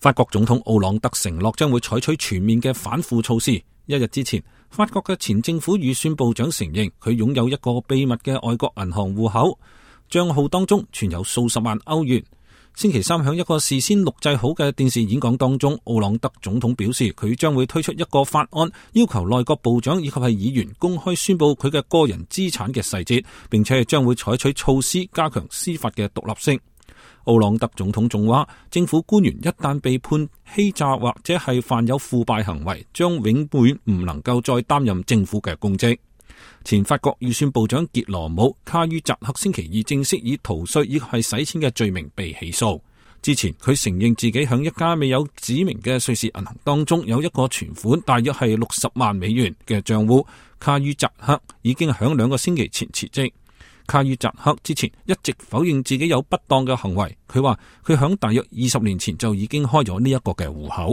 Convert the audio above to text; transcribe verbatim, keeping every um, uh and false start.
法國總統奧朗德承諾將會採取全面嘅反腐措施。一日之前，法國嘅前政府預算部長承認佢擁有一個秘密嘅外國銀行戶口，賬號當中存有數十萬歐元。星期三喺一個事先錄製好嘅電視演講當中，奧朗德總統表示佢將會推出一個法案，要求內閣部長以及係議員公開宣佈佢嘅個人資產嘅細節，並且將會採取措施加強司法嘅獨立性。奧朗德總統仲話，政府官員一旦被判欺詐或者係犯有腐敗行為，將永遠唔能夠再擔任政府嘅公職。前法國預算部長傑羅姆卡於扎克星期二正式以逃稅以及係洗錢嘅罪名被起訴。之前佢承認自己響一家未有指明嘅瑞士銀行當中有一個存款大約係六十萬美元嘅賬戶。卡於扎克已經響兩個星期前辭職。卡於扎克之前一直否認自己有不當嘅行為，佢話佢響大約二十年前就已經開咗呢一個嘅戶口。